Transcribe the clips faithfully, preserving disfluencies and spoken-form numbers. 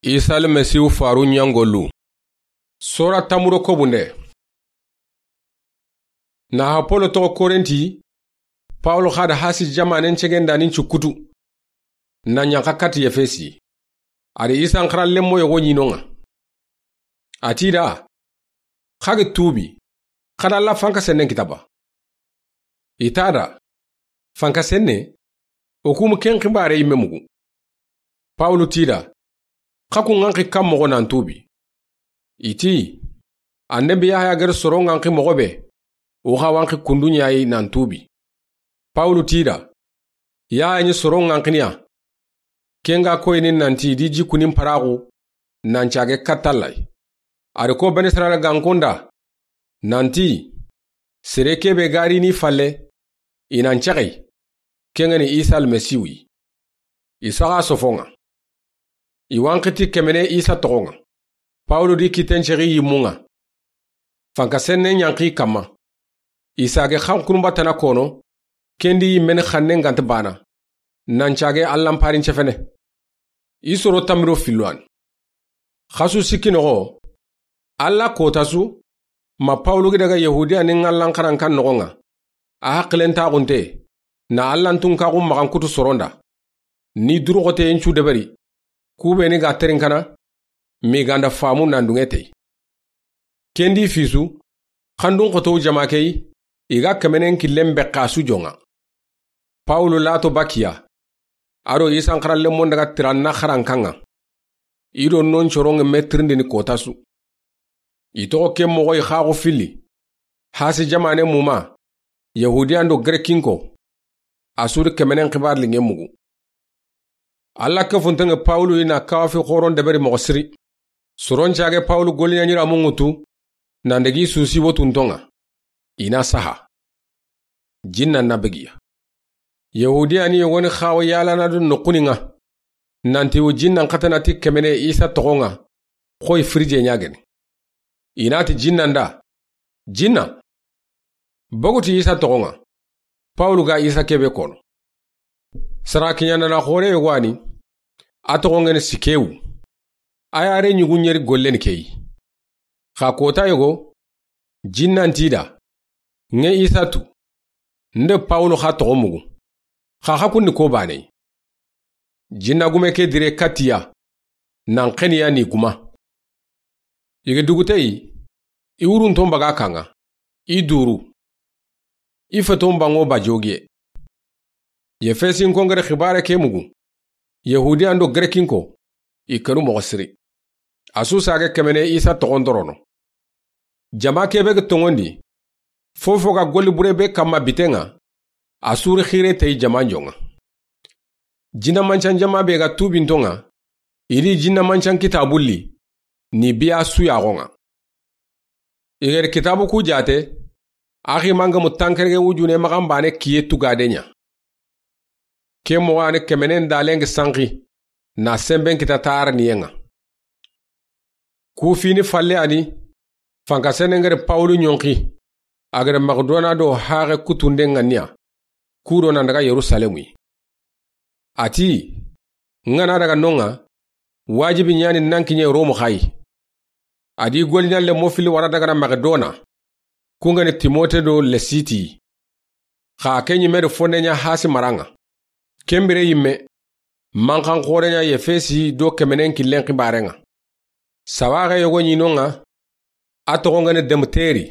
Isa Almasihu faru ɲangolu. Sora tamuro kobunde. Na ha Polo toxo Korenti, Pawulu xa da hasi jamanen cegendanin cukutu, na ɲanxa kati Efesi. A di Isa n xara lemmo yogo ɲi no ŋa. A ti da, xa ga tuubi, xa da Alla fanka sennen kita ba? I ta da, fanka senne, o kumu ken xibare yimme mugu. Pawulu ti da, xa ku ŋanxi kan moxo nan tuubi? I ti, annabi Yahaya gere soro ŋanxi moxo be, o xa wanxi kundu ɲa yi nan tuubi. Pawulu ti da, Yahaya ɲi soro ŋanxiniya. Ken ga koyini nanti i di jikunin paraxu, nan cage katta Alla yi. A di ko Bani Israila gankonda, nanti, sere kebe ga ri ni falle, i nan caxe yi, ken ga ni Isa Almasihu yi. I saxa sofo ŋa. I wanxiti kemene Isa toxo ŋa. Pawulu di kitten cexi yimmu ŋa. Fanka senne ɲanxi kamma. I sage xankunun batana kono, ken di yimmeni xannen ganta bana. Nan cage Allan parin cefene. I soro tamiro fillo an. Xasu sikki noxo, Alla kota su, ma Pawulu gi daga Yahudiya ni ŋallan xaran kan noxo ŋa. A haqilen taxunte, na Allan tunkaxu maxan kutu soronda. Ni duruxoteyen cu deberi, ku be ni ga terinkana, mi ganda famu nan dunge tey. Ken di fisu, xandun xotow jama ke yi, i ga kemenen killen beqqa su joŋa. Pawulu lato bakiya, a do Isa n xara lemmo n daga tiranna xaran kan ŋa. I do non coron ŋe me tirindini kota su. I toxo ke moxo i xaxu filli. Hasi jamane muma, Yahudiyan do Grekinko, a su di kemenen xibar linŋe mugu. Alla ke funteŋe Pawulu i na kawafi xoron deberi moxo siri. Soron cage Pawulu goliɲa ɲira mungutu, nan degi susi wotunto ŋa. I na saha. Jinna na begiya. Yahudiya ni yogoni xawo yalana do noxuni ŋa. Nanti wo jinnan xatana ti kemene Isa toxo ŋa, xoy firije ɲageni. I na ti jinnan da, jinna, boguti Isa toxo ŋa. Pawulu ga Isa kebe kono. Sara kiɲanana xore yogo ani, a toxo ŋeni Sikewu. A yare ɲugu ɲeri gollen keyi. Xa kota yogo, jinnan ti da, ŋe Isa tu, nde Pawulu xa toxo mugu, xa xa kundi ko bane yi. Jinna gume ke dire katiya, nan xeniya ni guma. I ga duguteyi, i wurunton baga kaŋa, i duru. I feton bango ba jogiye. Yefesinko ngere xibare ke mugu. Yahudiyan do Grekinko, i kenu moxo siri. A su sage kemene Isa toxon dorono. Jama kebe ga tongondi, fofo ga golli bure be kamma biteŋa, a suri xire tey jaman joŋa. Jinna mancan jama be ga tubinto ŋa, i di jinna mancan kitabu li, ni biya suyaxo ŋa. I geri kitabu ku jate, axi manga mu tankerege wujune maxan bane kiye tugade ɲa. Ke moxo ani kemenen dalengi sanxi, na semben kita taraniyen ŋa. Ku fini falle ani, fanka senengeri Pawulu ɲonxi, a gere Makedona do haxe kutunden ŋa niya, ku do nan daga Yerusalemu yi. A ti, ŋa na daga non ŋa, wajibi ɲani nan kiɲe Romu xa yi. A di goliɲa lemmo fili wara dagana Makedona, ku ŋeni Timote do Lesiti. Xa ke ɲimme do fonne ɲa hasi maran ŋa. Ken bire yimme, manxan xore ɲa Yefesi do kemenen killen xibaren ŋa. Sawaxe yogo ɲi non ŋa, a toxo ŋeni Demteri.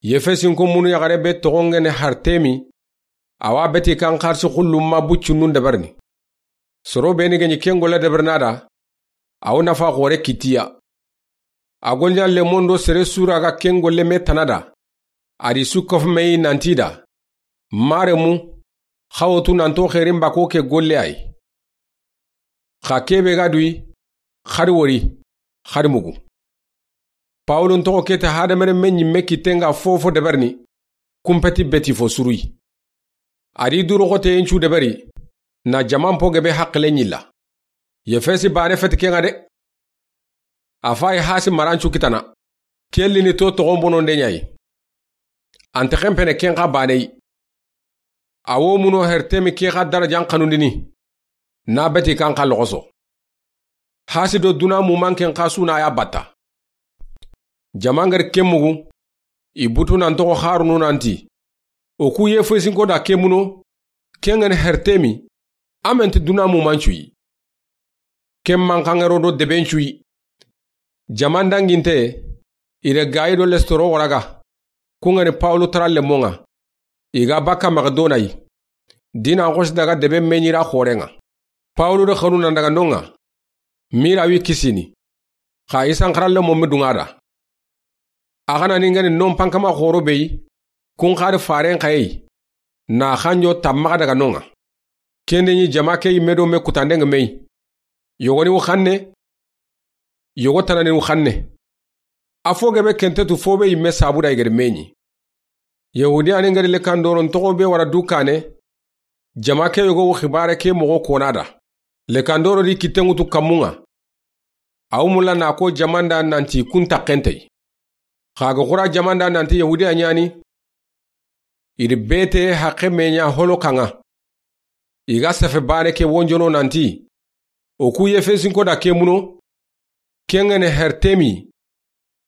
Yefesinko munu yaxare be toxo ŋeni Hartemi, a wa beti kan xarsi xullumma buccunun deberini. Soro beni ga ɲi ken golle deberina da, a wo nafa xore kitiya. A goliɲa lemon do sere sura ga ken golle me tana da, a di su kofu me yi nanti da, maremu, xa wo tu nanto xerin bako ke golle ayi. Xa kebe ga duyi, xadi wori, xadi mugu. Pawulun toxo kete hadamaren me ɲimme kitten ga fofo deberini, kumpeti beti fo suruyi. A di duru xoteyen cu deberi, na jaman po gebe haqile ɲilla. Yefesi bane feti ken ŋa de. A fayi hasi marancu kitana, ke lini to toxon bononde ɲayi. Ante xenpene ken xa baneyi. A wo muno Hertemi ke xa darajan xanundini, na beti kan xa loxoso. Hasi do duna mumanken xasu na ya batta. Jama ŋari ke mugu, i butu nan toxo xarunu nanti, o ku Yefesinko da ke muno, ken ŋa ni Hertemi, a menti duna mumancuyi. Ken manxaŋero do debencuyi. Jama ndanginte, i re gayi do lestoro waraga, ku ŋa ni Pawulu tara lemonŋa, i ga bakka Makedona yi. Dina xosi daga debe meñira xorenŋa. Pawulu de xanu nan daga nonŋa, mira wi kisini. Xa i sanxara lemo mi duŋa da. A xana ni ŋa ni non pankama xoro beyi, kun xari faren xayeyi, na xanjo tammaxa daga nonŋa. Kende ñi jama ke yimme do me kutandeŋa meyi. Yogo ni wu xanne, yogo tana ni wu xanne. A fo gebe kente tu fo be yimme sabu da i gede meñi. Yahudiya ni ŋari lekandoron toxo be wara du kane, jama ke yogo wu xibare ke moxo kona da. Lekandoro di kitten ŋutu kammunŋa. A wu mulla na ko jamanda nanti kun taxentey. Xa ga xura jamanda nanti Yahudiya ñani. I di bete haqe meña holo kaŋa. I ga sefe bane ke wonjono nanti, o ku Yefesinko da ke muno, ken ŋa ni Hertemi,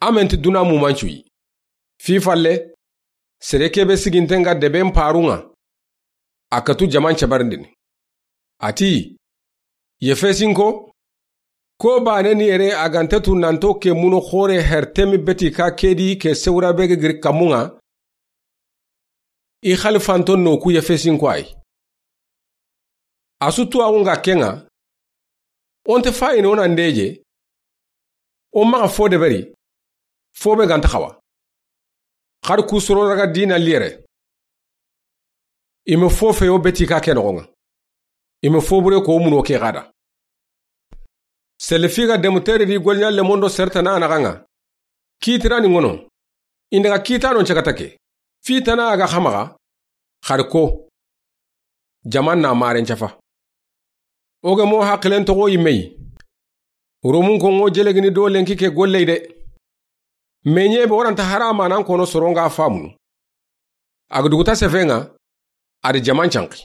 a menti duna mumancuyi. Fi falle, sere kebe siginten ŋa deben paruŋa, a katu jaman cabarindini. A ti, Yefesinko, ko bane ni yere a gante tu nanto ke muno xore Hertemi beti ka kedi ke sewura be ge giri kammunŋa, i xalifanto no ku Yefesinko ayi. A su tuwaxu ŋa kenŋa, o nte fayini o na ndeje, o maxa fo deberi, fo be ganta xawa. Xari ku soro raga dina liyere. I me fo feyo beti ka ke noxonŋa. I me fo bure ko muno ke xada. Selefi ga demu tere di golña lemondo sertana a naxanŋa. Kitira ni ŋono. I ndaga kitano cakata ke. Fitana a ga xamaxa. Xari ko. Jaman na maren cafa. O ge mo haqilen toxo yimme yi. Romun ko ŋo jelegini do lenki ke golley de. Meñe be waranta harama nan kono soronga famunu. A ga duguta sefenŋa, a di jaman canki.